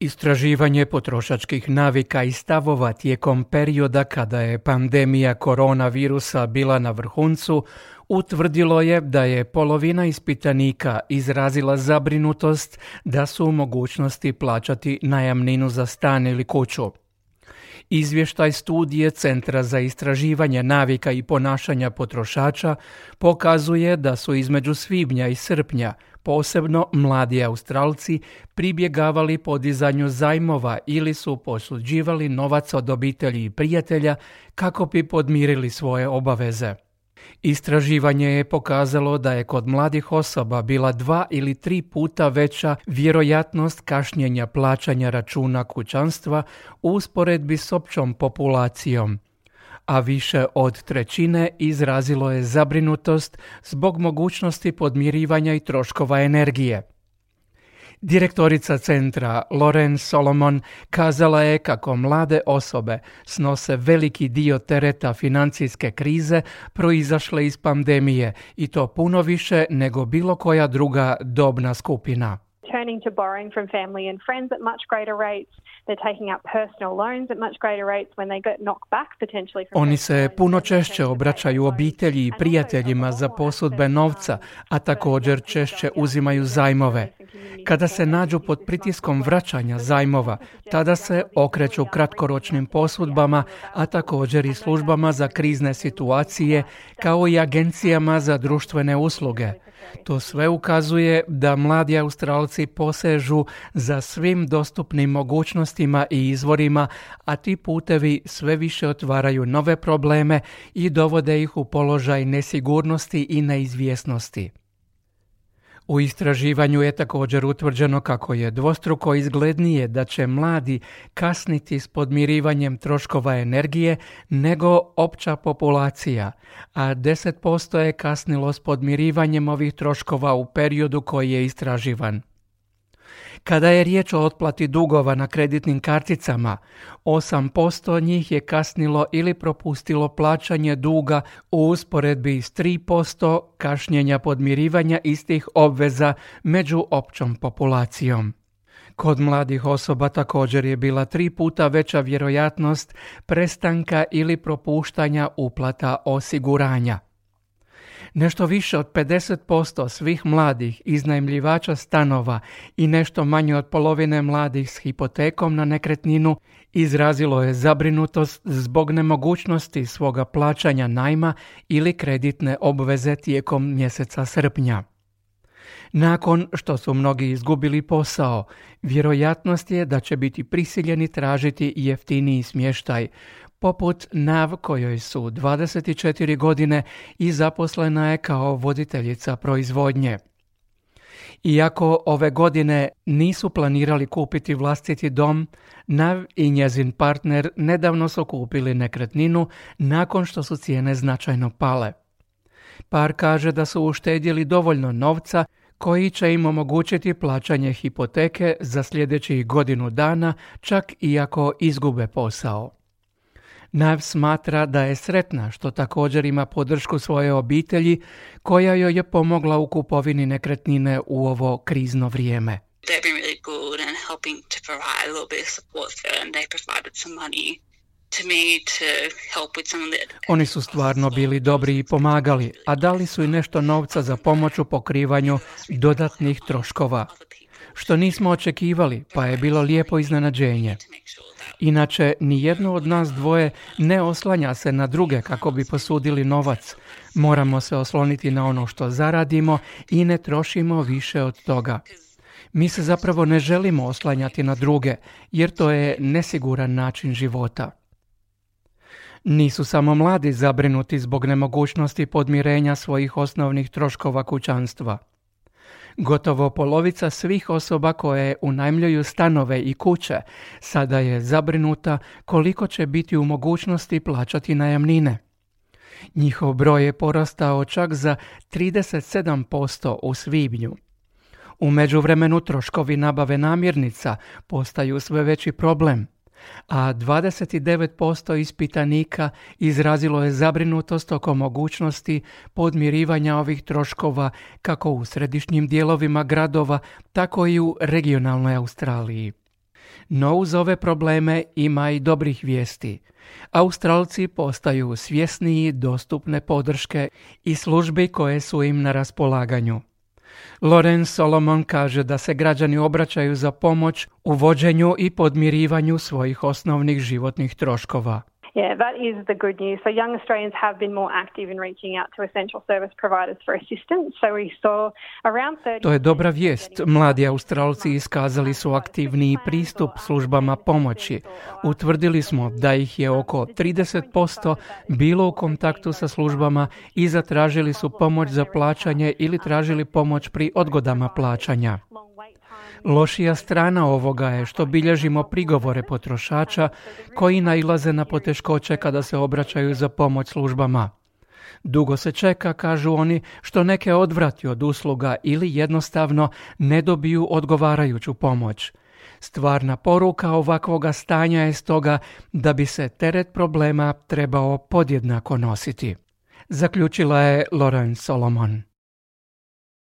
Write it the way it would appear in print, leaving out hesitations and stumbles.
Istraživanje potrošačkih navika i stavova tijekom perioda kada je pandemija koronavirusa bila na vrhuncu utvrdilo je da je polovina ispitanika izrazila zabrinutost da su u mogućnosti plaćati najamninu za stan ili kuću. Izvještaj studije Centra za istraživanje navika i ponašanja potrošača pokazuje da su između svibnja i srpnja posebno mladi Australci pribjegavali podizanju zajmova ili su posuđivali novac od obitelji i prijatelja kako bi podmirili svoje obaveze. Istraživanje je pokazalo da je kod mladih osoba bila 2 ili 3 puta veća vjerojatnost kašnjenja plaćanja računa kućanstva u usporedbi s općom populacijom, a više od trećine izrazilo je zabrinutost zbog mogućnosti podmirivanja i troškova energije. Direktorica centra Lauren Solomon kazala je kako mlade osobe snose veliki dio tereta financijske krize proizašle iz pandemije i to puno više nego bilo koja druga dobna skupina. Turning to borrowing from family and friends at much greater rates. They're taking out personal loans at much greater rates when they get knocked back potentially from. Oni se puno češće obraćaju obitelji i prijateljima za posudbe novca, a također češće uzimaju zajmove. Kada se nađu pod pritiskom vraćanja zajmova, tada se okreću kratkoročnim posudbama, a također i službama za krizne situacije, kao i agencijama za društvene usluge. To sve ukazuje da mladi Australci posežu za svim dostupnim mogućnostima i izvorima, a ti putevi sve više otvaraju nove probleme i dovode ih u položaj nesigurnosti i neizvjesnosti. U istraživanju je također utvrđeno kako je dvostruko izglednije da će mladi kasniti s podmirivanjem troškova energije nego opća populacija, a 10% je kasnilo s podmirivanjem ovih troškova u periodu koji je istraživan. Kada je riječ o otplati dugova na kreditnim karticama, 8% njih je kasnilo ili propustilo plaćanje duga u usporedbi s 3% kašnjenja podmirivanja istih obveza među općom populacijom. Kod mladih osoba također je bila 3 puta veća vjerojatnost prestanka ili propuštanja uplata osiguranja. Nešto više od 50% svih mladih iznajmljivača stanova i nešto manje od polovine mladih s hipotekom na nekretninu izrazilo je zabrinutost zbog nemogućnosti svoga plaćanja najma ili kreditne obveze tijekom mjeseca srpnja. Nakon što su mnogi izgubili posao, vjerojatnost je da će biti prisiljeni tražiti jeftiniji smještaj, poput Nav kojoj su 24 godine i zaposlena je kao voditeljica proizvodnje. Iako ove godine nisu planirali kupiti vlastiti dom, Nav i njezin partner nedavno su kupili nekretninu nakon što su cijene značajno pale. Par kaže da su uštedjeli dovoljno novca koji će im omogućiti plaćanje hipoteke za sljedećih godinu dana, čak i ako izgube posao. Nav smatra da je sretna što također ima podršku svoje obitelji koja joj je pomogla u kupovini nekretnine u ovo krizno vrijeme. Oni su stvarno bili dobri i pomagali, a dali su i nešto novca za pomoć u pokrivanju dodatnih troškova, što nismo očekivali, pa je bilo lijepo iznenađenje. Inače, nijedno od nas dvoje ne oslanja se na druge kako bi posudili novac. Moramo se osloniti na ono što zaradimo i ne trošimo više od toga. Mi se zapravo ne želimo oslanjati na druge, jer to je nesiguran način života. Nisu samo mladi zabrinuti zbog nemogućnosti podmirenja svojih osnovnih troškova kućanstva. Gotovo polovica svih osoba koje unajmljuju stanove i kuće sada je zabrinuta koliko će biti u mogućnosti plaćati najamnine. Njihov broj je porastao čak za 37% u svibnju. U međuvremenu troškovi nabave namirnica postaju sve veći problem, a 29% ispitanika izrazilo je zabrinutost oko mogućnosti podmirivanja ovih troškova kako u središnjim dijelovima gradova, tako i u regionalnoj Australiji. No uz ove probleme ima i dobrih vijesti. Australci postaju svjesniji dostupne podrške i službi koje su im na raspolaganju. Lorenz Solomon kaže da se građani obraćaju za pomoć u vođenju i podmirivanju svojih osnovnih životnih troškova. Yeah, that is the good news. So young Australians have been more active in reaching out to essential service providers for assistance. So we saw around 30... To je dobra vijest. Mladi Australci iskazali su aktivniji pristup službama pomoći. Utvrdili smo da ih je oko 30% bilo u kontaktu sa službama i zatražili su pomoć za plaćanje ili tražili pomoć pri odgodama plaćanja. Lošija strana ovoga je što bilježimo prigovore potrošača koji nailaze na poteškoće kada se obraćaju za pomoć službama. Dugo se čeka, kažu oni, što neke odvrati od usluga ili jednostavno ne dobiju odgovarajuću pomoć. Stvarna poruka ovakvoga stanja je stoga da bi se teret problema trebao podjednako nositi. Zaključila je Lauren Solomon.